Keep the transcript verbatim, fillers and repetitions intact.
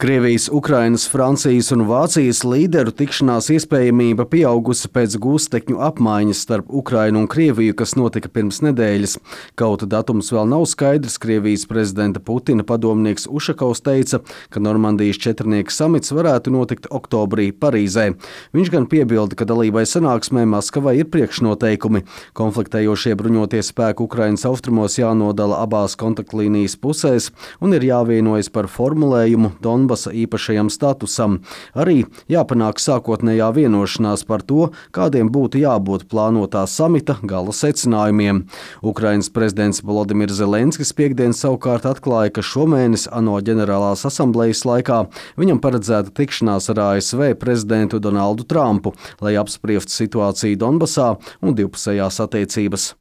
Krievijas, Ukrainas, Francijas un Vācijas līderu tikšanās iespējamība pieaugusi pēc gūstekņu apmaiņas starp Ukrainu un Krieviju, kas notika pirms nedēļas. Kaut datums vēl nav skaidrs, Krievijas prezidenta Putina padomnieks Ušakovs teica, ka Normandijas četrnieka samits varētu notikt oktobrī Parīzē. Viņš gan piebilda, ka dalībai sanāksmē Maskavai ir priekšnoteikumi. Konfliktējošie bruņotie spēki Ukrainas austrumos jānodala abās kontaktlīnijas pusēs un ir jāvienojas par formulējumu Donbasa īpašajam statusam. Arī jāpanāk sākotnējā vienošanās par to, kādiem būtu jābūt plānotā samita gala secinājumiem. Ukrainas prezidents Volodimirs Zelenskis piekdien savukārt atklāja, ka šomēnes ANO ģenerālās asamblejas laikā viņam paredzēta tikšanās ar A S V prezidentu Donaldu Trumpu, lai apspriestu situāciju Donbasā un divpusējās attiecības.